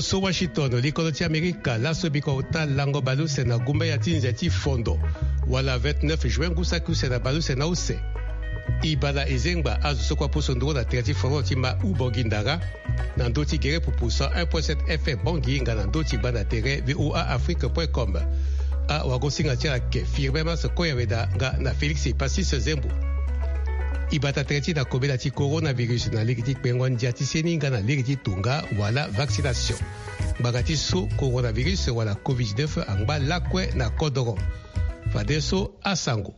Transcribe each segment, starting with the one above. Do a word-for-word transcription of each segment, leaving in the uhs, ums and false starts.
So Washington, likolo ti Amerika laso biko ota lango baleuse na gumba ya ti nze ti fondo, wala vingt-neuf juin ngu saki use na baleuse na use. E bala e zengba azo so kue aposo nduru na tere ti fondo ti ma Ubongi Ndara, na ndö ti gere pupu cent un point sept F M Bangui nga na ndö ti gbanda tere V O A Afrique point com. Awagosinga ti ala ke Firmin Mas Koyaweda nga na Félix Epasis Zembo. E bata tere ti na kobela ti coronavirus na lege ti kpengo ndia ti seni nga na lege ti tonga wala vaccination. Ngbanga ti so coronavirus wala covid dix-neuf angba lakue na kodoro. Fadeso asango.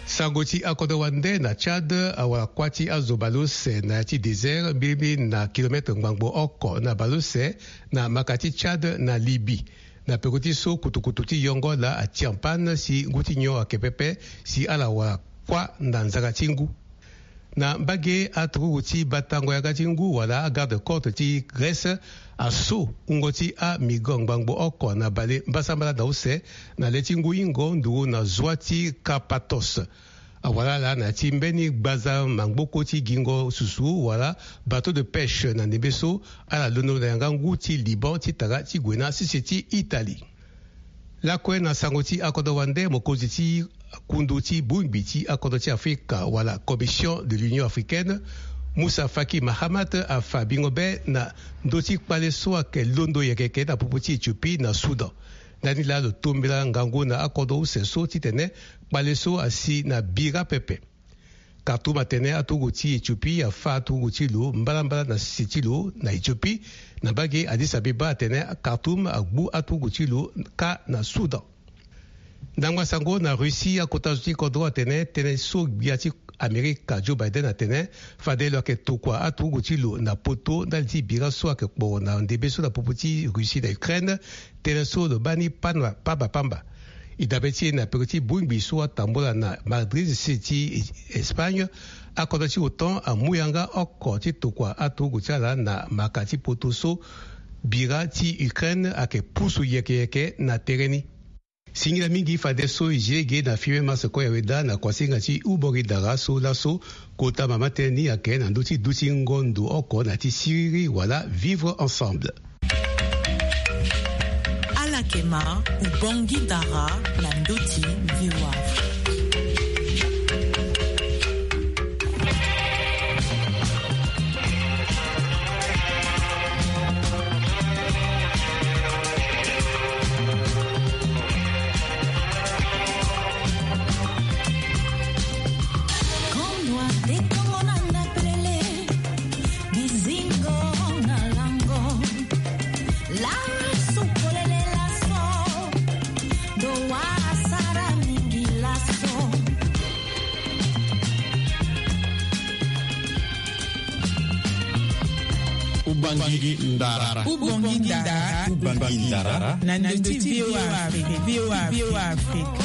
Sango ti akodro wande na Tchad, awara kuâ ti azo baleuse na ya ti désert, mbilimbili na kilomètre ngbangbo oko na baleuse, na maka ti Tchad na Libye. Na peko ti so, kutukutu ti yongo laa ati en panne si ngu ti nyon ayeke pepe, si ala wara kuâ na nzara ti ngu. Na mbage, aturugu ti batango yanga ti ngu wala agarde côte ti Grèce aso wungo ti amigrant ngbangbo oko na bale mbasambala na use, na le ti ngu hingo nduru na zwa ti Karpathos. Awara ala na ya ti mbeni gbaza mangboko ti gingo susu wala bateau de pêche na ndembe so, ala londo na yanga ngu ti Liban ti tara ti gue na sese ti Italie. Lakue na sango ti akodro wande, mokonzi ti kundu ti bongbi ti akodro ti Afrika wala Commission de l'Union Africaine, Moussa Faki Mahamat, afa bingo be na ndö ti kpale so ayeke londo yeke yeke na popo ti Éthiopie na Soudan. Ndani laa lo tombela ngangu na akodro use so titene kpale so asi na bira pepe. Khartoum atene aturugu ti Éthiopie afa aturugu ti lo mbalambala na sese ti lo na Éthiopie. Na mbage, Addis Abeba atene Khartoum agbu aturugu ti lo kâ na Soudan. Ndangba sango na Russie, akota zo ti kodro atene tënë so gbia ti Amerika Joe Biden atene fade lo yeke tokua aturugu ti lo na poto ndali ti bira so ayeke kporo na ndembe so na popo ti Russie na Ukraine. Tënë so lo baa ni pamba pamba. E dabe ti e na peko ti bongbi so atambula na Madrid, sese ti Espagne, akodro ti OTAN amu yanga oko ti tokua aturugu ti ala na maka ti poto so bira ti Ukraine ayeke pusu yeke yeke na tere ni. Singila mingi fadeso e zi lege na Firmin Mas Koyaweda na kuasinga ti Ubongi Ndara so laso kota mama tënë ni ayeke na ndö ti duti ngondo oko na ya ti siriri wala vivre ensemble. Ala yeke ma Ubongi Ndara na ndö ti V O A. Ubangi Ndara. Ubangi Ndara. Ubangi Ndara. Na ndö ti V O A Afrique. V O A Afrique.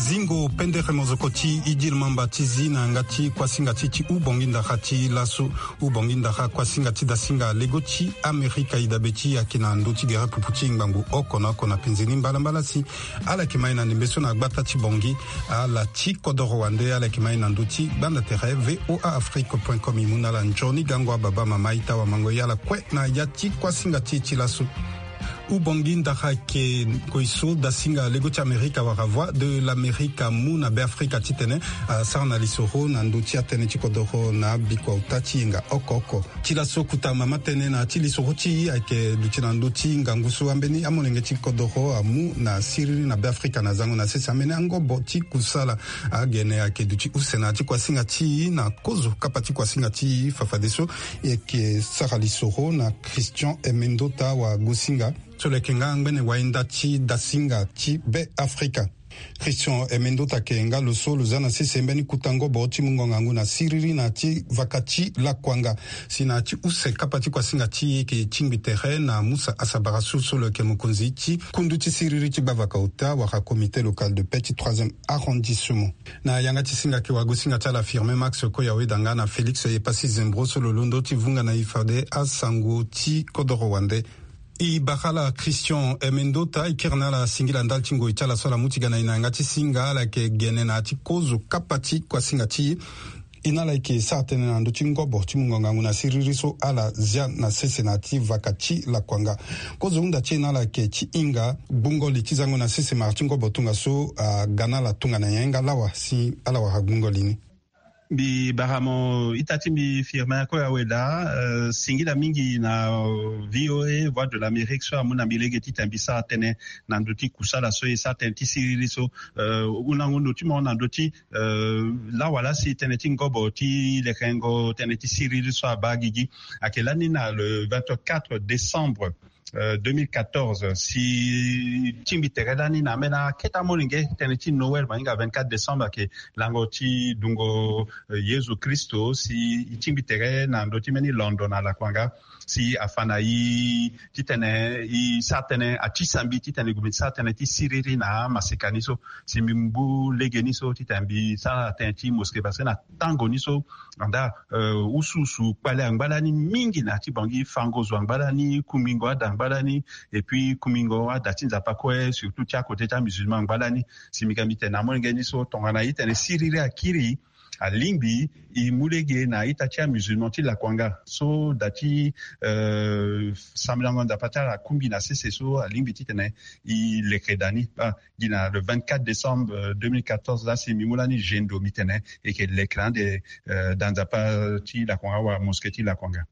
Zingo pendere mozoko ti Idil Mamba ti zi na yanga ti kuasinga ti ti Ubangi Ndara ti laso. Ubangi Ndara kuasinga ti dasinga lego ti Amerika e dabe ti e ayeke na ndö ti gere pupu ti ngbangbo oko na oko na penze ni mbalambala si. Ala yeke ma e na ndembe so na gbata ti Bangui. Ala ti kodoro wande, ala yeke ma e na ndö ti gbanda tere V O A Afrique point com. E mu na ala nzoni gango ababa mama ita wamango ye ala kue na ya ti kuasinga ti e ti laso. Ubangi Ndara ayeke ngoi so dasinga lego ti Amerika wala Voix de l'Amérique amu na Beafrika titene asara na lisoro na ndö ti atënë ti kodoro na bikua ota ti yenga oko oko. Ti laso kota mama tënë na ya ti lisoro ti e ayeke duti na ndö ti ngangu so ambeni amolenge ti kodoro amu na siriri na Beafrika na zango na sese ambeni angobo ti kusala. Agene ayeke duti use na ya ti kuasinga ti e na kozo kapa ti kuasinga ti e fafadeso. E yeke sara lisoro na Christian Emendota Wagosinga so lo yeke nga ngbene wainda ti dasinga ti Beafrika. Christian Emendota ayeke nga lo so lo za na sese mbeni kuta ngobo ti mungo ngangu na siriri na ya ti vaka ti Lakuanga. Si na ya ti use kapa ti kuasinga ti e e yeke tingbi tere na Musa Asabara so so lo yeke mokonzi ti kundu ti siriri ti gbavaka ota wala comité local de paix ti troisième arrondissement. Na yanga ti singa ayeke wagosinga ti ala Firmin Max Koyaweda nga na Félix Epassi Zembro so lo londo ti vunga na e fade asango ti kodoro wande. E bara ala Christian Emendota, e kiri na ala singila ndali ti ngoi ti ala so ala mu ti ga na e na yanga ti singa. Ala yeke gene na ya ti kozo kapa ti kuasinga ti e. E na ala yeke sara tënë na ndö ti ngobo ti mungo ngangu na siriri so ala zia na sese na ya ti vaka ti lakuanga. Kozo hunda ti e na ala yeke ti hinga gbungo li ti zango na sese mara ti ngobo tongaso aga na ala tongana nyen nga lawa si ala wara gbungo li ni. Mbi bara mo ita ti mbi Firmin Akoya Weda, euh, singila mingi na, euh, V O A, Voix de l'Amérique, so amu na mbi lege titene mbi sara tënë na ndö ti kusala so e sara tënë ti siriri so, euh, hundango ndo ti mo na ndö ti, euh, lawa laa si tënë ti ngobo ti lekengo tënë ti siriri so abaa gigi ayeke lani na le vingt-quatre décembre, euh, deux mille quatorze, si tingbi tere lani na ambeni akete amolenge tënë ti Noël, ma hinga vingt-quatre décembre, ayeke lango ti dungo, euh, Yezu Kristo, si e tingbi tere na ndö ti mbeni londo na lakuanga, si afa na e titene e sara tënë, ati sambi titene e gue mbi sara tënë ti siriri na amaseka ni so, si mbi mu lege ni so titene mbi sara tënë ti mosquée, parce que na tango ni so, andaa, euh, usuusu kpale angba lani mingi na ya ti Bangui, fango zo angba lani, kungbingo ada angba lani, et puis kungbingo ada ti Nzapa kue, surtout ti akote ti amusulman angba lani. Si mbi ga mbi tene na amolenge ni so, tongana e tene siriri akiri, alingbi e mu lege na ita ti amusulman ti lakuanga so da ti, euh, sambelango Nzapa ti ala akungbi na sese so, alingbi titene e leke da ni. Ah, gi na le vingt-quatre décembre, euh, deux mille quatorze laa si mbi mu lani gendo, mbi tene e yeke leke na ande, euh, da Nzapa ti lakuanga wala mosquée ti lakuanga.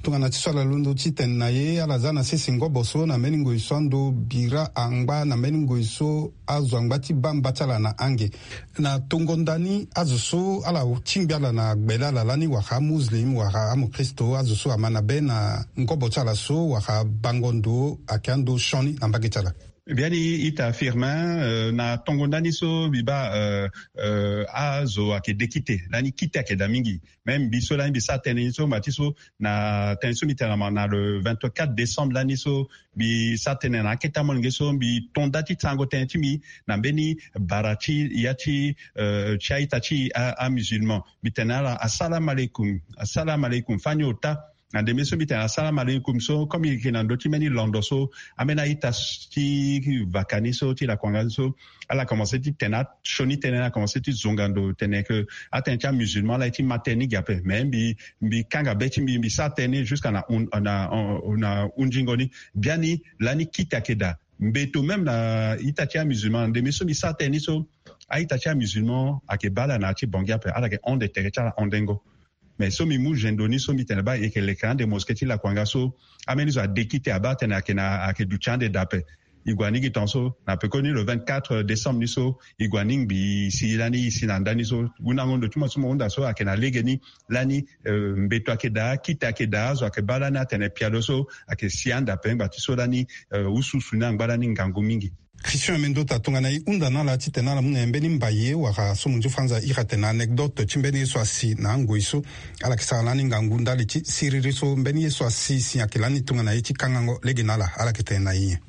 Tongana ti so ala londo ti tene na e, ala za na sese ngobo so na mbeni ngoi so ando bira angba, na mbeni ngoi so azo angba ti baa mba ti ala na ange. Na tongo ndani azo so ala tingbi ala na gbele ala lani, wala amuslim wala amokristo, azo so ama na be na ngobo ti ala so, wala bango ndo ayeke ando sioni na mbage ti ala. Biani ita Firmin, euh, na tongo ndani so mbi baa, euh, euh, azo ayeke de kite, lani kite ayeke daa mingi. Même mbi so lani mbi sara tënë ni so, ma ti so na tënë so mbi tene na, na le vingt-quatre décembre lani so, mbi sara tënë na akete amolenge so, mbi to nda ti sarango tënë ti mbi na mbeni bara ti ya ti, euh, ti a-ita ti a, amusulman. Mbi tene na ala, assalam alaikum, assalam alaikum, fani ota. Na ndembe so mbi tene assalam alaikum so, comme e yeke na ndö ti mbeni londo so, ambeni a-ita ti vaka ni so ti lakuanga ni so, ala commencé ti tene asioni tënë, ala commencé ti zonga ndo tene ke atënë ti amusulman ala ye ti ma tënë ni gi ape. Mais mbi, mbi kanga be ti mbi, mbi sara tënë ni jusqu'à na hun-, na, na hundingo ni. Biani lani kite ayeke daa. Mbeto même na ita ti amusulman, na ndembe so mbi sara tënë ni so, a-ita ti amusulman ayeke baa ala na ya ti Bangui ape, ala yeke hon ande tere ti ala hondengo. Mais so mbi mu gendo ni so, mbi tene baa e yeke leke na ande mosquée ti lakuanga so, ambeni zo ade kite abaa atene ayeke na, ayeke duti ande daa ape. E gue aningbi tongaso, na pekoni le vingt-quatre décembre ni so, e gue aningbi si lani e si na ndani so. Hundango ndo ti mo so mo hunda so ayeke na legeni, lani, euh, mbeto ayeke daa, kite ayeke daa, azo ayeke baa lani atene pialo so ayeke si ande ape, ngba ti so lani, euh, usuusu ni angba lani ngangu mingi. Christian Emendota, tongana e hunda na ala titene ala mu na e mbeni mbaye wala so mo nzi franza iri atene anecdote ti mbeni ye so asi na angoi so, ala yeke sara lani ngangu ndali ti siriri so, mbeni ye so asi si ayeke lani tongana ye ti kangango lege na ala, ala yeke tene na e nyen?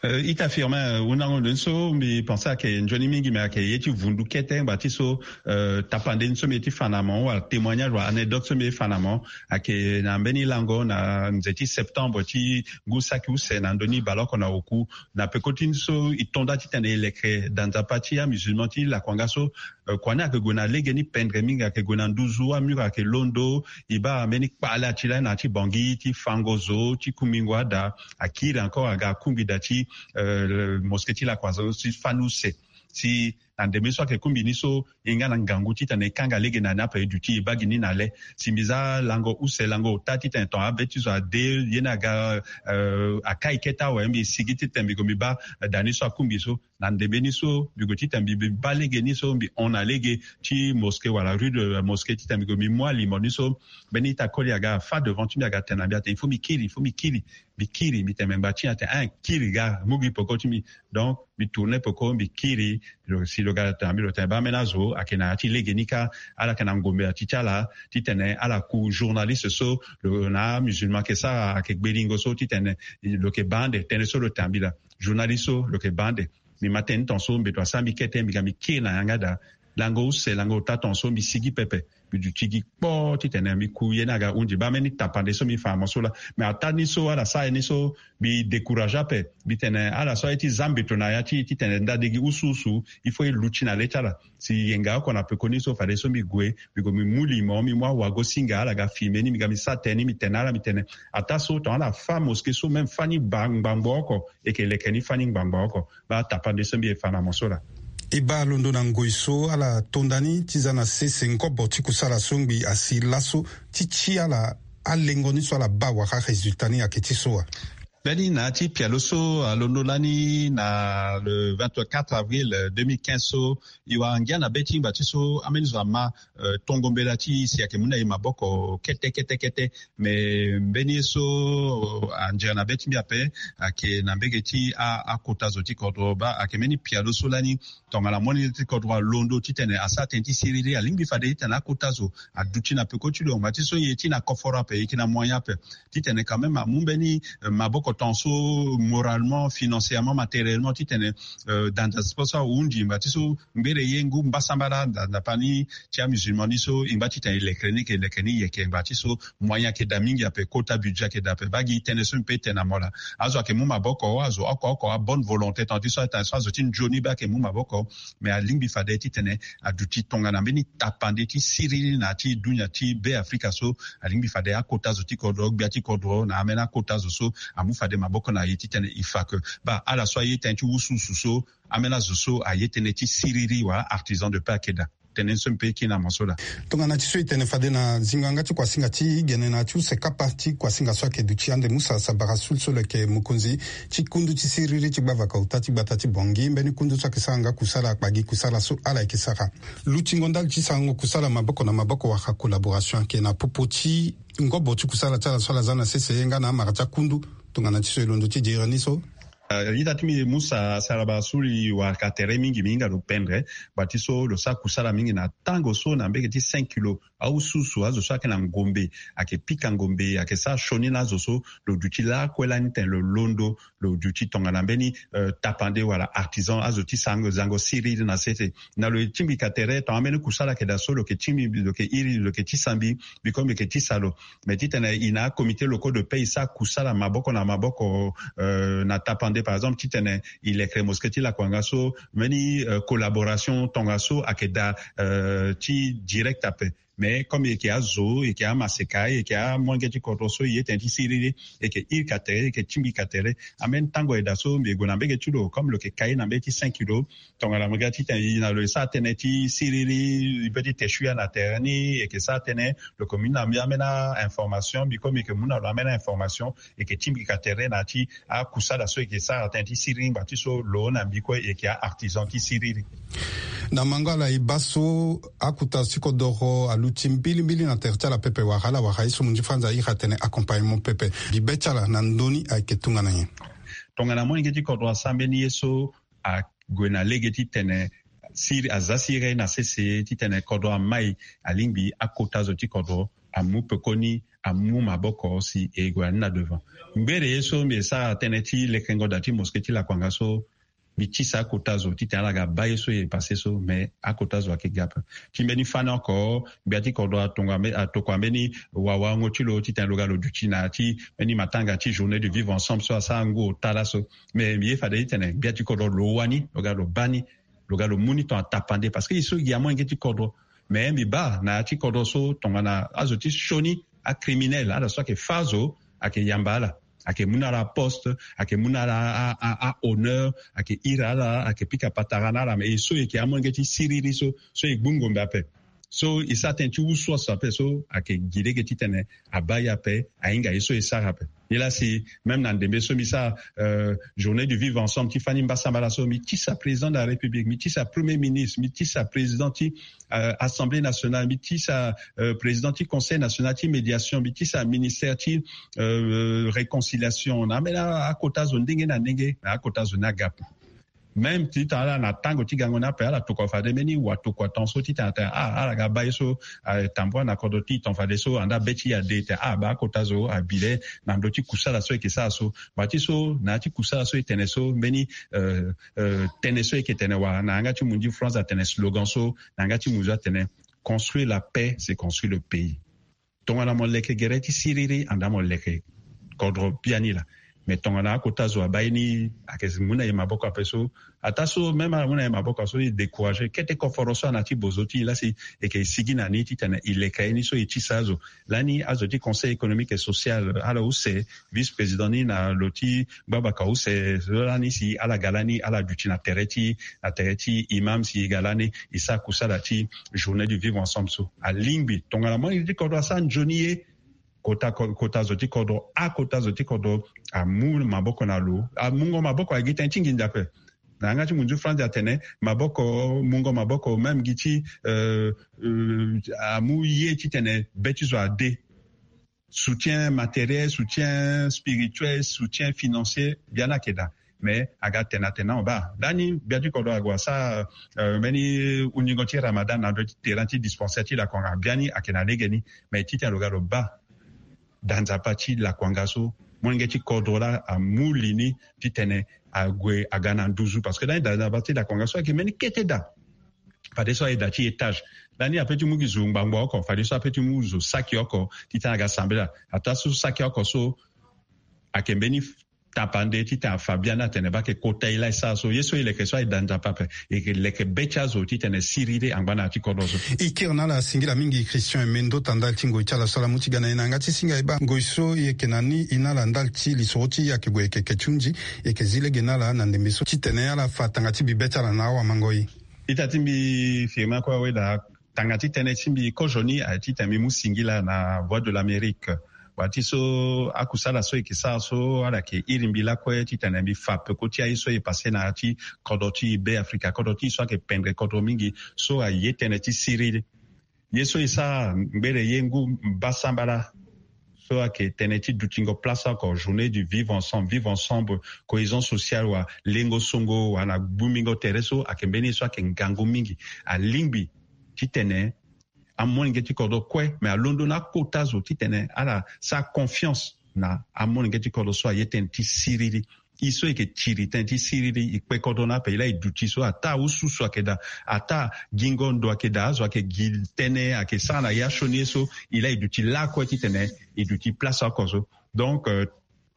Euh, ita Firmin, euh, hundango ndo ni so mbi pensé ayeke nzoni mingi, mais ayeke ye ti vundu kete ngba ti so, euh, tapande ni so mbi ye ti fa na mo, wala témoignage wala anecdote so mbi ye ti fa na mo, ayeke na mbeni lango na nze ti septembre ti ngu saki use na ndö ni baleoko na oku, na peko ti ni so e to nda titene e leke da Nzapa ti amusulman ti lakuanga so, euh, kua ni ayeke gue na legeni pendre mingi, ayeke gue na nduzu, amur ayeke londo, e baa mbeni kpale ati lani na ya ti Bangui ti fango zo, ti kungbingo ada, akiri encore aga akungbi da ti, euh, mosquée ti lakuanga so ti fani use. Si na ndembe so ayeke kungbi ni so, e nga na ngangu titene e kanga lege na ni ape, e duti e baa gi ni na le. Si mbi za lango use, lango ota titene tonga abe ti zo ade, ye ni aga, euh, akai kete awe, mbi sigi titene mbi gue mbi baa da ni so akungbi so. Na ndembe ni so mbi gue titene mbi, mbi baa lege ni so, mbi hon na lege ti mosquée wala rue de la mosquée titene mbi gue mbi mu alimo ni so. Mbeni ita koli aga afa devant ti mbi, aga tene na mbi atene il faut mbi kiri, il faut mbi kiri. Mbi kiri, mbi tene me ngba ti atene, ah, kiri ga, mu gi peko ti mbi. Donc mbi tourner peko, mbi kiri. Lo, si lo ga tene na mbi, lo tene baa ambeni azo ayeke na ya ti legeni kâ, ala yeke na ngombe ati ti ala titene ala ku journaliste so lo na amusulman ayeke sara, ayeke gbelingo so titene lo yeke baa ande tënë so lo tene na mbi laa. Journaliste so lo yeke baa ande. Mbi ma tënë ni tongaso, mbeto asara mbi kete, mbi ga mbi kiri na yanga daa. lango use lango ota tongaso mbi sigi pepe. Mbi duti gi kpo titene mbi ku ye ni aga hundi baa mbeni tapande so mbi fa na mo so laa. Mais ataa ni so ala sara ye ni so, mbi décourage ape. Mbi tene ala so aye ti za mbeto na ya ti titene ndade gi usu usu, il faut e luti na le ti ala. Si yenga oko na pekoni so fadeso mbi gue, mbi gue mbi mu limo, mbi mu awago-singa, ala ga filme ni, mbi ga mbi sara tënë ni, mbi tene na ala, mbi tene, ataa so tongana ala fâ mosquée so même fâ ni ngbangbo oko, e yeke leke ni fâ ni ngbangbo oko. Baa tapande so mbi ye fa na mo so laa. E baa londo na ngoi so ala to nda ni ti za na sese ngobo ti kusala so ngbii asi laso, ti ti ala alengo ni so ala baa wala résultat ni ayeke ti so wa? Mbeni na ya ti pialo so alondo lani na le vingt-quatre avril, euh, deux mille quinze so, e wara ngia na be ti ngba ti so ambeni zo ama, euh, tongo mbela ti e si ayeke mu na e maboko kete kete kete. Mais mbeni ye so, euh, anzere na be ti mbi ape, ayeke na mbege ti a, akota zo ti kodro baa ayeke mbeni pialo so lani tongana molenge ti kodro alondo titene asara tënë ti siriri, alingbi fade titene akota zo aduti na peko ti lo ngba ti so e ye ti na koforo ape, e yeke na moyen ape. Titene quand même amu mbeni, euh, maboko tongaso moralement, financièrement, matériellement, titene, euh, dans, dans, so ahundi ngba ti so ngbere ye ngu mbasambala nda, ndapani ti amusulman ni so, e ngba titene e leke ni, e leke ni yeke ngba ti so moyen ayeke daa mingi ape, kota budget ayeke daa ape. Baa gi tënë so mbi pe tene na mo laa. Azo ayeke mu maboko, azo oko oko abonne volonté, tongana ti so atene so azo ti nzoni baa ayeke mu maboko. Mais alingbi fade titene aduti tongana mbeni tapande ti siriri na ya ti dunia ti Be Afrika so, alingbi fade akota zo ti kodro, gbia ti kodro na ambeni akota zo so amu fade maboko na e titene e fa ke baa ala so aye tënë ti wusuwusu so, ambeni azo so aye tënë ti siriri wala artisan de paix ayeke daa. Tënë so mbi pe kiri na mo so laa. Tongana ti so e tene fade na zingo yanga ti kuasinga ti gene na ya ti use kapa ti kuasinga so ayeke duti ande Musa Sabara Sul so lo yeke mokonzi ti kundu ti siriri ti gbavaka ota ti gbata ti Bangui, mbeni kundu so ayeke sara nga kusala akpa gi kusala so ala yeke sara. Lutingo ndali ti sarango kusala maboko na maboko wala collaboration ayeke na popo ti ngobo ti kusala ti ala so ala za na sese ye nga na amara ti akundu. Tongana ti so e londo ti diri ni so. Euh, ita ti mbi Musa Saraba Suli wara ka tere mingi, mbi hinga lo pendre. Ngba ti so lo sara kusala mingi na tango so na mbege ti cinq kilo. Awususu azo so ayeke na ngombe, ayeke pika ngombe, ayeke sara sioni na azo so, lo duti lakue lani tene lo londo, lo duti tongana mbeni, euh, tapande wala artisan, azo ti sarango zango siriri na sese. Na lo ye tingbi ka tere, tongana mbeni kusala ayeke daa so, lo yeke tingbi, lo yeke iri, lo yeke tisa mbi, mbi kue mbi yeke tisa lo. Mais titene e na comité locaux de paix e sara kusala maboko na maboko, euh, na tapande, par exemple, titene e lekere mosquée ti lakuanga so, mbeni, euh, collaboration tongaso ayeke daa, euh, ti direct ape. Mais comme e yeke azo, e yeke amaseka, e yeke amolenge ti kodro so e ye tënë ti siriri, e yeke iri ka tere, e yeke tingbi ka tere. Ambeni tango ayeke daa so mbi gue na mbege ti lo, comme lo yeke kai na mbege ti cinq kilo, tongana mo ga titene e na lo e sara tënë ti siriri, e peut ti te sui ya na tere ni, e yeke sara tënë, lo yeke mu na mbi ambeni a-information, mbi kue mbi yeke mu na lo ambeni a-information, e yeke tingbi ka tere na ya ti akusala so e yeke sara tënë ti siriri ngba ti so lo na mbi kue e yeke a-artisan ti siriri. Na mango ala e baa so akota zo ti kodoro aluti mbilimbili na tere ti ala pepe wala ala wara ye so mo ndi franza a iri atene accompagnement pepe. Mbi be ti ala na ndoni ayeke tongana nyen? Tongana molenge ti kodro asara mbeni ye so, ague na lege titene siri, aza siriri na sese titene kodro amai, alingbi akota zo ti kodro amu pekoni, amu maboko si e gue na ni na devant. Ngbere ye so mbi e sara tënë ti lekengo daa ti mosquée ti lakuanga so, mbi tisa akota zo titene ala ga baa ye so e passé so, mais akota zo ayeke ga ape. Ti mbeni fani oko, gbia ti kodro atonga mbe-, atokua mbeni wawalango ti lo titene lo ga lo duti na ya ti mbeni matanga ti journée du vivre ensemble so asara ngu ota laso. Mais mbi ye fade titene gbia ti kodro lo wani, lo ga lo baa ni, lo ga lo mu ni tongana tapande, parce que e so e gi amolenge ti kodro. Mais mbi baa na ya ti kodro so tongana azo ti sioni, acriminel, ala so ayeke fâ azo, ayeke yamba ala, ayeke mu na ala aposte, ayeke mu na ala a, a, a honneur, ayeke iri ala, ayeke pika patara na ala. Mais e so e yeke amolenge ti siriri so, so e gbu ngombe ape, so e sara tënë ti wusu aso ape, so ayeke gi lege titene abaa ye ape, ahinga ye so e sara ape. Nilaa si même na ndembe so mbi sara, euh, journée du vivre ensemble ti fani mbasambala so, mbi tisa président de la République, mbi tisa premier ministre, mbi tisa président ti, euh, Assemblée nationale, mbi tisa, euh, président ti Conseil national ti médiation, mbi tisa ministère ti, euh, réconciliation, na ambeni akota zo ndenge na ndenge, na akota zo ni aga ape. Même ti tene ala na tango ti gango ni ape, ala tokua fade mbeni watokua ton so ti tene atene ah, ala ga baa ye so atambua na kodro ti ton fade so anda be ti ye ade, tene ah, baa akota zo abi le na ndö ti kusala so e yeke sara so. Bati so na ya ti kusala so e tene so mbeni euh, euh, tënë so e yeke tene wala na yanga ti munzu France atene slogan so na yanga ti munzu atene construire la paix, c'est construire le pays. Tongana mo leke gere ti siriri anda mo leke kodro biani laa. Mais tongana akota zo abaa ye ni ayeke mu na e maboko ape so, ataa so même ala mu na e maboko so e décourager kete koforo so ana ti bozo ti e laa si e yeke sigi na ni ti tene e leke ye ni so e tisa azo. Lani azo ti Conseil économique et social ala use vice-président ni na lo ti gbabaka use so lani si ala ga lani ala duti na tere ti na tere ti imam si e ga lani e sara kusala ti journée du vivre ensemble so. Alingbi tongana mo ye ti kodro asara nzoni ye, kota ko- kota zo ti kodro, akota zo ti kodro amu maboko na lo, amungo maboko agi tënë ti nginza ape. Na yanga ti munzu France atene maboko, mungo maboko même gi ti euh, euh, amu ye ti tene be ti zo ade. Soutien matériel, soutien spirituel, soutien financier, biani ayeke daa. Mais aga tene atene na mo baa lani gbia ti kodro ague asara euh, mbeni hunzingo ti Ramadan na ndö ti terrain ti dispensaire ti Lakuanga, biani ayeke na legeni. Mais ti tene lo ga lo baa da nzapa ti Lakuanga so, molenge ti kodro laa amu li ni ti tene ague aga na nduzu, parce que lani da nzapa ti Lakuanga so ayeke mbeni kete da. Fadeso aye da ti étage. Lani ape ti mu gi zo ngbangbo oko, fadeso ape ti mu zo saki oko ti tene aga sambela. Ataa so saki oko so ayeke mbeni tapande ti tene afa biani atene baa ayeke kota e laa e sara so. Ye so e leke so aye da nzapa ape, e yeke leke be ti azo ti tene siriri angba na ya ti kodro so. E kiri na ala singila mingi Christian Emendo, tanda ti ngoi ti ala so ala mu ti ga na e na yanga ti singa e baa ngoi so e yeke na ni e na ala ndali ti lisoro ti e ayeke gue yeke ke ti hunzi. E yeke zi lege na ala na ndembe so ti tene ala fa tanga ti bi be ti ala na awamangoi. Ita ti mbi firme kue awe daa. Tanga ti tënë ti mbi kozo ni aye ti tene mbi mu singila na Voix de l'Amérique. Wa ti so akusala so e yeke sara so ala yeke iri mbi lakue ti tene mbi fa peko ti aye so e pase na ya ti kodro ti Be Afrika, kodro ti e so ayeke pendre kodro mingi, so aye tënë ti siriri. Ye so e sara ngbere ye ngu mbasambala so ayeke tënë ti dutingo place oko, journée du vivre ensemble, vivre ensemble, cohésion sociale, wa lengo songo, wa na gbumingo tere so ayeke mbeni ye so ayeke ngangu mingi. Alingbi ti tene amolenge ti kodro kue, mais alondo na akota zo ti tene ala sara confiance na amolenge ti kodro so aye tënë ti siriri. E so e yeke tiri tënë ti siriri, e kpe kodro ni ape, e laa e duti so, ataa ususu ayeke daa, ataa gingo ndo ayeke daa, azo ayeke gi tënë ayeke sara na ya sioni ye so, e laa e duti lakue ti tene e duti place oko so. Donc euh,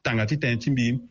tanga ti tënë ti mbi,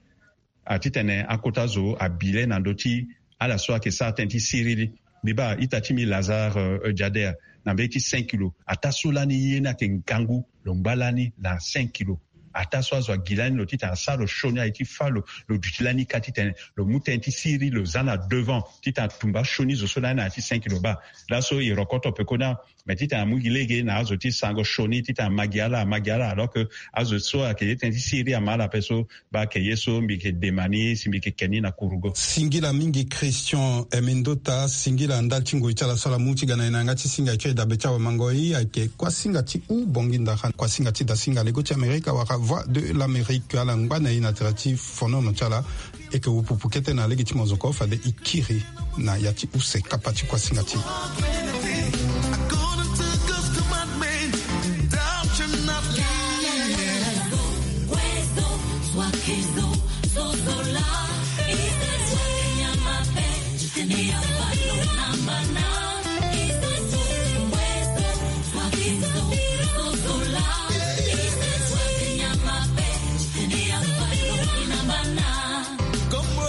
a ti tene akota zo abi le na ndö ti ala so ayeke sara tënë ti siriri. Mbi baa ita ti mbi Lazare euh, Jader, na mbeni ti cinq kilo, ataa so lani ye ni ayeke ngangu, lo ngba lani na cinq kilo. Ataa so azo agi lani lo ti tene asara lo sioni aye ti fâ lo, lo duti lani ka ti tene lo mu tënë ti siriri lo za na devant ti tene atumba asioni zo so lani na ya ti cinq kilo. Baa laso e rokoto peko ni. Mais ti tene amu gi lege na azo ti sango sioni ti tene ama gi ala, ama gi ala, alors que azo so ayeke ye tënë ti siriri ama ala ape so. Baa ayeke ye so mbi yeke dema ni si mbi yeke ke ni na kurugo. Singila mingi Christian Emendota, singila ndali ti ngoi ti ala so ala mu ti ga na e na yanga ti singa e kiri dabe ti awamangoi, ayeke kuasinga ti U Bongi Ndara, kuasinga ti dasinga lego ti Amerika wala Voix de l'Amérique. Ala ngba na e na tere ti fonono ti ala. E yeke wu pupu kete na lege ti mozoko fade e kiri na ya ti use kapa ti kuasinga ti e.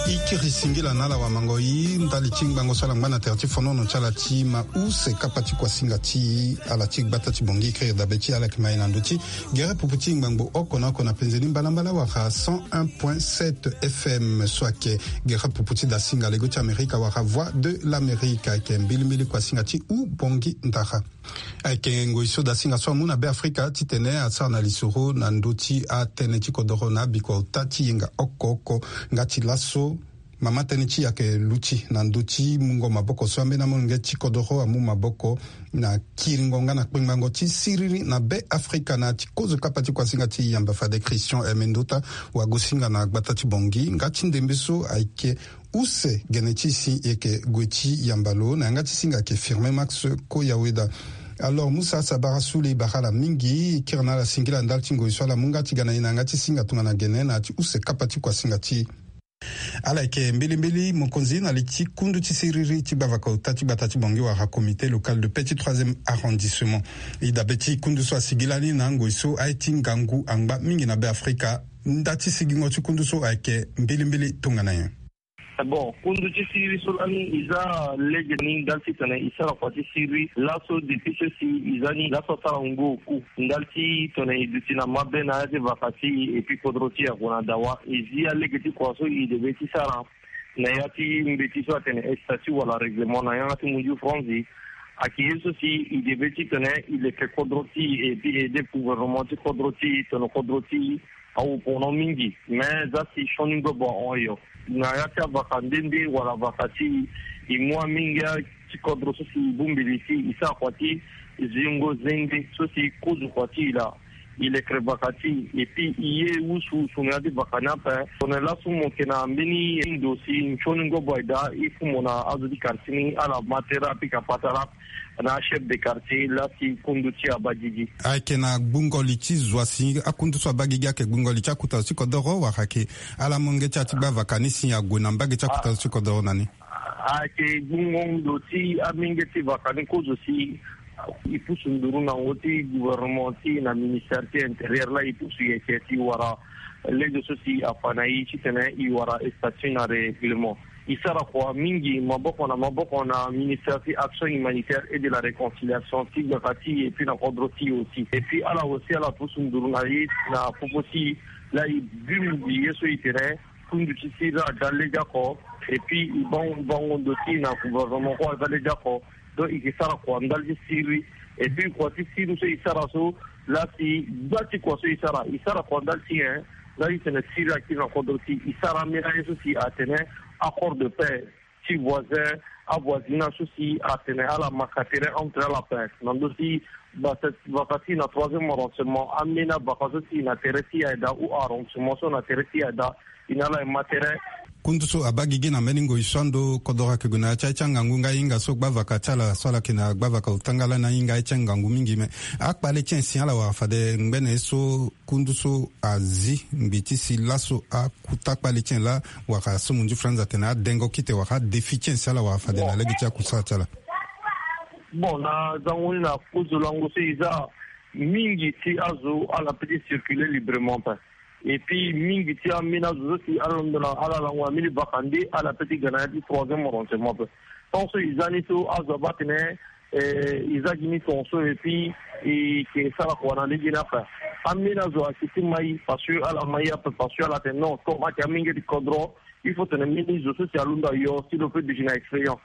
E kiri singila na ala wamangoi ndali ti ngbangbo so ala ngba na tere ti fonono ti ala ti ma use kapa ti kuasinga ti ala ti gbata ti Bongi. E kiri dabe ti ala yeke ma e na ndö ti gere pupu ti ngbangbo oko na oko na penze ni mbalambala wala cent un point sept F M so ayeke gere pupu ti dasinga lego ti Amerika wala Voix de l'Amérique. Ayeke mbilimbili kuasinga ti U Bongi Ndara. Ayeke ngoi so dasinga so amu na Be Afrika titene asara na lisoro na ndö ti atënë ti kodoro na abikua ota ti yenga oko oko. Nga ti laso mama tënë ti e ayeke luti na ndö ti mungo maboko so ambeni amolenge ti kodoro amu maboko na kiringo nga na kpengbango ti siriri na Be Afrika na ya ti kozo kapa ti kuasinga ti e yamba fade Christian Emendota wagosinga na gbata ti Bongi. Nga ti ndembe so ayeke Use gene ti si eke gue ti yamba lo na yanga ti singa ake Firme Max Koyaweda. Alors Musa Sabara Sule, bara ala mingi, kiri na ala singila ndali ti ngoi so ala mu nga ti ga na e na yanga ti singa tongana gene na ya ti use kapa ti kuasinga ti e. Ala yeke mbilimbili mokonzi na li ti kundu ti siriri ti gbavaka ota ti gbata ti Bangui wala comité local de paix ti troisième arrondissement. E dabe ti kundu so asigi lani na ngoi so aye ti ngangu angba mingi na Beafrika. Nda ti sigingo ti kundu so ayeke mbilimbili tongana nyen? Bon, kundu ti siriri so lani e za lege ni ndali ti tene e sara kua ti siriri laso depuis so si e za ni laso asara ngu oku. Ndali ti tene e duti na mabe na ya ti vaka ti e, et puis kodro ti e ague na dawa. E zi alege ti kua so e debe ti sara na ya ti mbeti so atene statut wala règlement na yanga ti munju franzi. Ayeke ye so si e debe ti tene e leke kodro ti e, et puis e aide gouvernement ti kodro ti e, tene kodro ti e awu pendant mingi. Mais za si sioni ngobo ahon yo. Na ya ti avaka nde nde wala vaka ti e, e mu amingi ti kodro so si e bongbi li ti e, e sara kua ti zingo zende so si e kozo kua ti e laa. E lekere vaka ti e, et puis e ye wusuwusu na ya ti vaka ni ape. Tongana laso mo yeke na mbeni ndo si sioni ngobo aye daa, il faut mo na azo ti quartier ni ala ma tere apika patara na achef de quartier laa si kundu ti e abaa gigi. Ayeke na gbungo li ti zo asi akundu so abaa gigi, ayeke gbungo li ti akuta zo ti kodoro wala ayeke ala molenge ti ala ti gbavaka ni si ague na mbage ti akuta zo ti kodoro na ni? Ayeke gbungo ndo ti amenge ti vaka ni kozo si e pusu nduru na ngo ti gouvernement ti e na ministère ti intérieur laa e pusu yeke si e wara lege so si afa na e titene e wara statut na règlement. E sara kua mingi maboko na maboko na ministère ti action humanitaire et de la réconciliation ti gbata ti e et puis na kodro ti e aussi. Et puis ala aussi ala pusu nduru na e na popo ti e laa e bimbi ye so e tene kundu ti siriri aga lege oko. Et puis e bango bango ndo ti e na gouvernement kue aga lege oko. Donc e ke sara kua ndali ti siriri. Et puis kua ti siriri so e sara so laa si gba ti kua so e sara e sara kua ndali ti e. Ndali ti tene siriri akiri na kodro ti e, e sara ambeni aye so si atene accord de paix ti voisin, avoisinage so si atene ala maka tere entre ala ape na ndö ti vaka ti na troisième arrondissement, ambeni avaka so si na tere ti e aye daa ou arrondissement so na tere ti e aye daa, e na ala e ma tere. Kundu so abaa gigi na mbeni ngoi so ando kodoro ayeke gue na ya ti aye ti angangu nga e hinga so gbavaka ti ala so ala yeke na gbavaka ota nga lani ahinga aye ti angangu mingi. Me akpale ti e si ala wara fade ngbene ye so kundu so azi ngbi ti si laso akuta kpale ti e laa wala so munju franz atene adengo kite wala adéfi ti e si ala wara fade na lege ti akusala ti ala. Bon, na zango ni na kozo lango so e za mingi ti azo ala peut ti circuler librement ape. Et puis mingi ti ambeni azo so si ala londo na ala lango na mbeni vaka nde ala peut ti ga na ya ti troisième arrondissement ape. Tant so e za ni so azo abaa atene eh, e za gi ni tongaso et puis e ke sara kua na lege ni ape. Ambeni azo ayeke ti ma e parce que ala ma e ape parce que ala tene non comme ayeke amenge ti kodro, il faut tene mbeni zo so si alondo ayo si lo peut duti na expérience.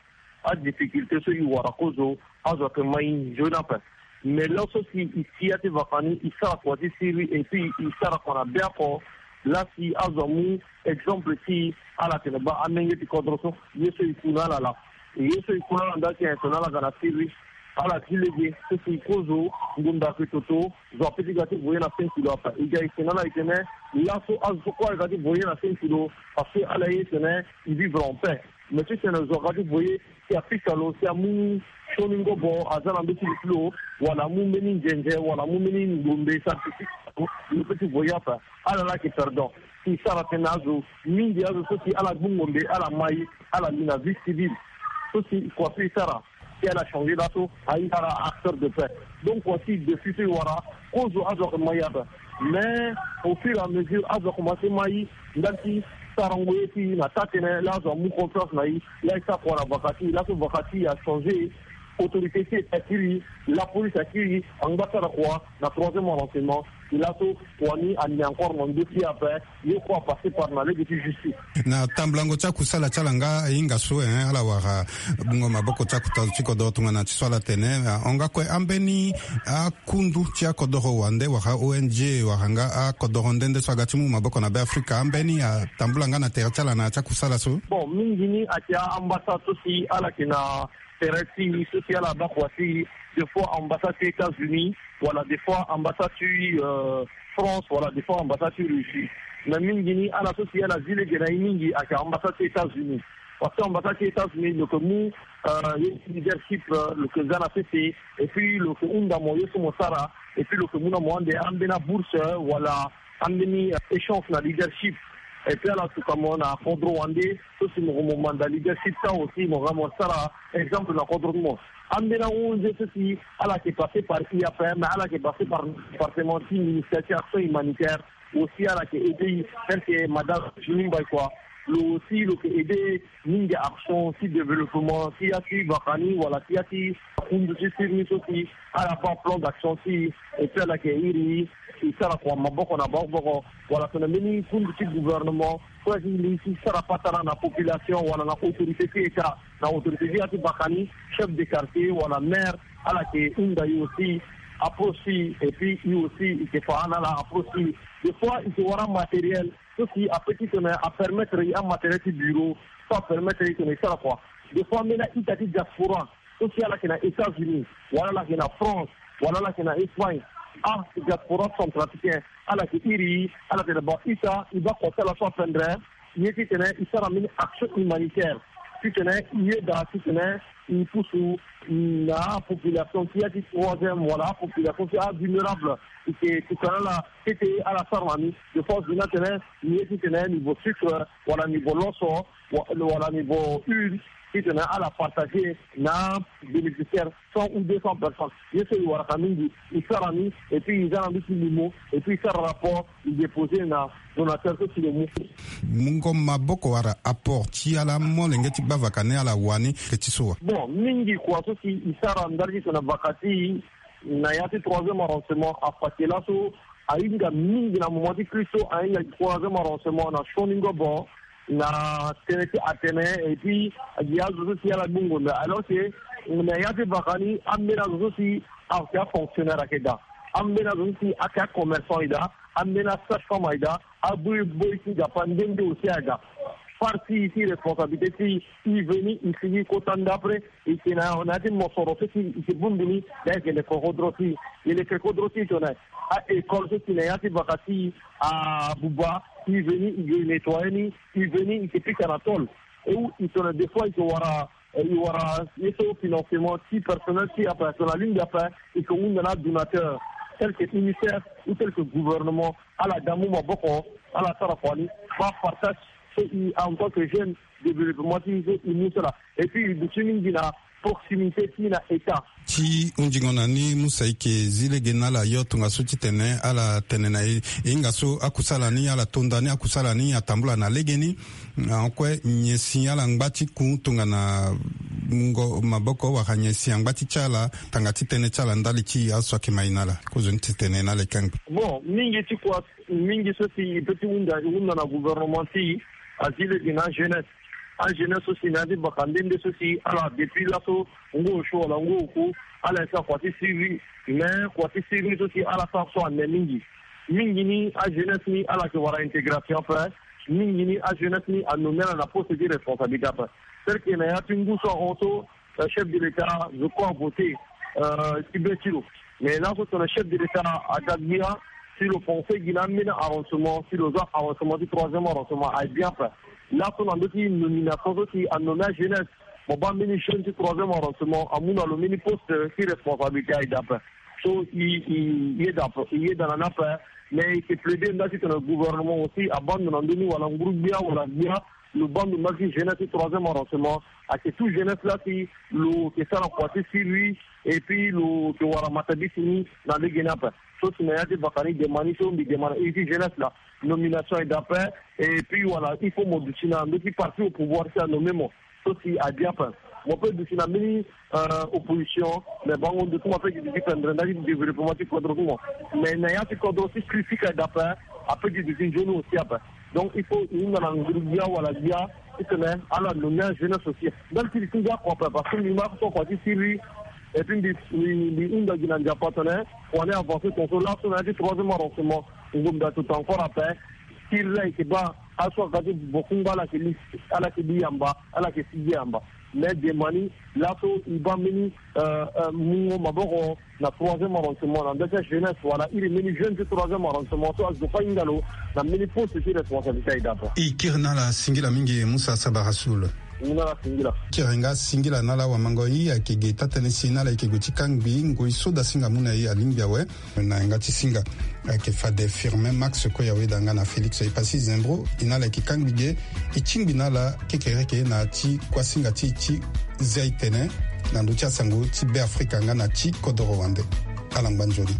Adifficulté so e wara kozo azo ayeke ma e nzoni ape. Mais laso si e ti ya ti vaka ni e sara kua ti siriri et puis e sara kua na be oko. Laa si azo amu exemple ti ala tene baa amenge ti kodro so ye so e ku na ala laa. Ye so e ku na ala ndali ti tene ala ga na siriri. Ala ti lege so si e kozo ngonda ayeke toto. Zo ape ti ga ti voye na cinq kilo ape e ga e tene ala e tene laso azo so kue ala ga ti voye na cinq kilo. Parce que ala ye tene e vivre en paix. Mais ti tene zo aga ti voye si apika lo si amu sioni ngobo aza na mbeti li ti lo wala amu mbeni nzenze wala amu mbeni ngombe sa ti ti lo lo peut ti voye ape. Ala laa ayeke perdant. Si sara tënë na azo mingi azo so si ala gbu ngombe ala ma e ala li na vie civile. So si kua so e sara si ala changer laso aye ala acteur de paix. Donc kua si depuis so e wara kozo azo ayeke ma e ape. Mais au fur et à mesure azo akomanse ma e ndali ti sarango ye ti e na taa tënë laa azo amu confiance na e. Laa e sara kua na vaka ti e laso vaka ti e achanger. Autorité ti e akiri lapolice akiri angba sara kua na troisième arrondissement. E laso kua ni andi encore na ndö ti e ape. Ye kue apasser par na lege ti justice. Na tambulango ti akusala ti ala nga e hinga so eh ala wara bungo maboko ti akuta zo ti kodoro tongana ti so ala tene ahon nga kue ambeni akundu ti akodoro wande wala O N G wala nga akodoro nde nde so aga ti mu maboko na Beafrika ambeni atambula nga na tere ti ala na ya ti akusala so. Bon mingi ni ayeke a-ambassade so si ala yeke na tere ti e so si ala baa kua ti e. Des fois ambassade ti États-Unis wala des fois ambassade ti euh, France, wala des fois ambassade ti Russie. Mais mingi ni ala so si ala zi lege na ye mingi ayeke ambassade ti États-Unis. Parce que ambassade ti États-Unis lo yeke mu, euh, ye ti leadership, euh, lo yeke za na sese. Et puis lo yeke hunda mo ye so mo sara. Et puis lo yeke mu na mo ande ambeni abourse, euh, wala ambeni, euh, échange na leadership. Et puis ala suka mo na kodro wande so si mo, mo manda leadership ti awe aussi mo ga mo sara exemple na kodro ti mo. Ambeni ahunzi so si ala yeke passer par I A P M, ala yeke passer par département ti ministère ti action humanitaire. Aussi ala yeke aider, tel que madame Jimmy Mbaye quoi. Lo aussi lo yeke aider mingi action ti développement ti ya ti vaka ni wala ti ya ti kundu ti sirni so si ala baa plan d'action ti e. Et puis ala yeke iri e sara kua maboko na maboko wala tongana mbeni kundu ti gouvernement so si li ti sara patara na population wala na autorité ti état, na autorité ti ya ti vaka ni, chef de quartier wala maire, ala yeke hunda e aussi, approche ti e. Et puis e aussi e yeke fa na ala approche ti e. Des fois e yeke wara matériel so si apeut ti tene apermettre e amatériel ti bureau, so apermettre e tene e sara kua. Des fois ambeni a-ita ti diaspora so si ala yeke na États-Unis wala ala yeke na France wala ala yeke na Espagne, adiaspora centrafricain, ala yeke iri e, ala tene ba ita e baa kua ti ala so apendre ye ti tene e sara mbeni action humanitaire ti tene e yeda ti tene e pusu na apopulation ti ya ti troisième wala apopulation ti avulnérable. E yeke tokua na ala tete ala sara na ni. Des fois e yeda tene ni ye ti tene niveau sucre wala niveau loso wa-, wala niveau huile ti tene ala partager na bénéficiaire, cent ou deux cents personnes. Ye so e waraka mingi e sara ni. Et puis e za na ndö ti limo et puis e sara rapport e déposer na donateur so si lo mu. Mungo maboko wala apport ti ala molenge ti baa vaka ni ala wani ke ti so wa? Bon, mingi kua so si e sara ndali ti tene vaka ti na ya ti troisième arrondissement, afa ti laso ahinga mingi na moment ti crise so, ahinga troisième arrondissement na sioni ngobo na tënë ti atene. Et puis gi azo so si ala gbu ngonda alors que na ya ti vaka ni ambeni azo so si ayeke afonctionnaire ayeke daa, ambeni azo so si ayeke acommerçant e daa, ambeni asage-femme ayeke daa, aboi boi ti dapa nde nde aussi ayeke daa. Far ti e ti responsabilité ti e, e veni e sigi kota ndapre, e yeke na, na ya ti mosoro so si e yeke bongbi ni, na e yeke leke kodro ti e. E leke kodro ti e tongana a-école so si na ya ti vaka ti e abuba, e veni e yeke nettoyer ni, e veni e yeke pika na tôle. E wu e tongana des fois e yeke wara, e wara ye so financement ti personnel ti e ape, tongana alingbi ape e yeke hunda na adonateur tel que UNICEF ou tel que gouvernement, ala daa mu maboko, ala sara kua ni. Baa partage so e en tant que jeune, développement ti e so e mu so laa. Et puis e duti mingi na proximité ti e na état. Ti hunzingo na ni, Musa, e yeke zi lege na ala yo tongaso titene ala tene na e, e hinga so akusala ni ala to nda ni, akusala ni atambula na legeni. Akue nyen si ala ngba ti ku tongana mungo maboko wala nyen si angba ti ti ala tanga ti tënë ti ala ndali ti aso ayeke mai na ala? Kozoni titene na ala e kangbi. Bon, mingi ti kua, mingi so si e peut ti hunda, e hunda na gouvernement ti e, azi lege na ajeunesse. Ajeunesse so si na ya ti baka nde nde so si ala depuis laso ngu osio wala ngu oku, ala yeke sara kua ti siriri. Mais kua ti siriri so si ala sara so ane mingi. Mingi ni ajeunesse ni ala yeke wara intégration ape. Mingi ni ajeunesse ni anommé ala na poste ti responsabilité ape. Tel que na ya ti ngu so ahon so, euh, chef de l'État, je crois, a voté, euh, ti be ti lo. Mais laso tongana chef de l'État aga gbia, si lo pensé gi na ambeni arrondissement, si lo za arrondissement ti troisième arrondissement aye bien ape. Laso na ndö ti nomination so si anommé ajeunesse, mo baa mbeni jeune ti troisième arrondissement amu na lo mbeni poste ti responsabilité aye daa ape. So e, e, e yeda ape, e yeda na ni ape. Mais e yeke plaider nda titene gouvernement aussi abaa ndo na ndö ni wala nguru gbia wala gbia, lo baa ndo na ti jeunesse ti troisième arrondissement. Ayeke tout jeunesse laa si lo yeke sara kua ti siriri, et puis lo yeke wara matabisi ni na lege ni ape. So si na ya ti baka ni demande ni so mbi demande na iri ti jeunesse laa, nomination aye daa ape. Et puis wala il faut mo duti na ndö ti parti au pouvoir si anommé mo. So si aye bien ape. Mo peut duti na mbeni, euh, opposition, mais bango ndo ti mo apeut ti duti pendre nda ti développement ti kodro ti mo. Mais na ya ti kodro ti critique aye daa ape, apeut ti duti nzoni aussi ape. Donc il faut e hunda na nguru gbia wala gbia titene ala nommé ajeunesse aussi. Ndali ti li ti ngia kua ape parce que mbi ma so kua ti siriri. Et puis mbi, mbi, mbi hunda gi na Nzapa tene kua ni avancer tongaso. Laso na ya ti troisième arrondissement, ngombe ato to encore ape. Siriri ayeke baa aso aga ti bokungba ala yeke li, ala yeke li yamba, ala yeke sigi yamba. Mais demani laso e baa mbeni mungo maboko na troisième arrondissement na ndö ti ajeunesse wala iri mbeni jeune ti troisième arrondissement so azo fa hinga lo na mbeni poste ti responsabilité aye dapa. E kiri na ala singila mingi Musa Sabara Soul. Ngu na ala singila. Kiri nga singila na ala wamango i ayeke ge taa-tënë si na ala yeke gue ti kangbi ngoi so dasinga mu na e alingbi awe. Na yanga ti singa ayeke fade Firmin Max Koyawe da nga na Félix Epassi Zembro. E na ala yeke kangbi ge, e tingbi na ala kekereke na ya ti kuasinga ti e ti zia e tene na ndö ti asango ti Beafrika nga na ti kodoro wande. Ala ngba nzoni.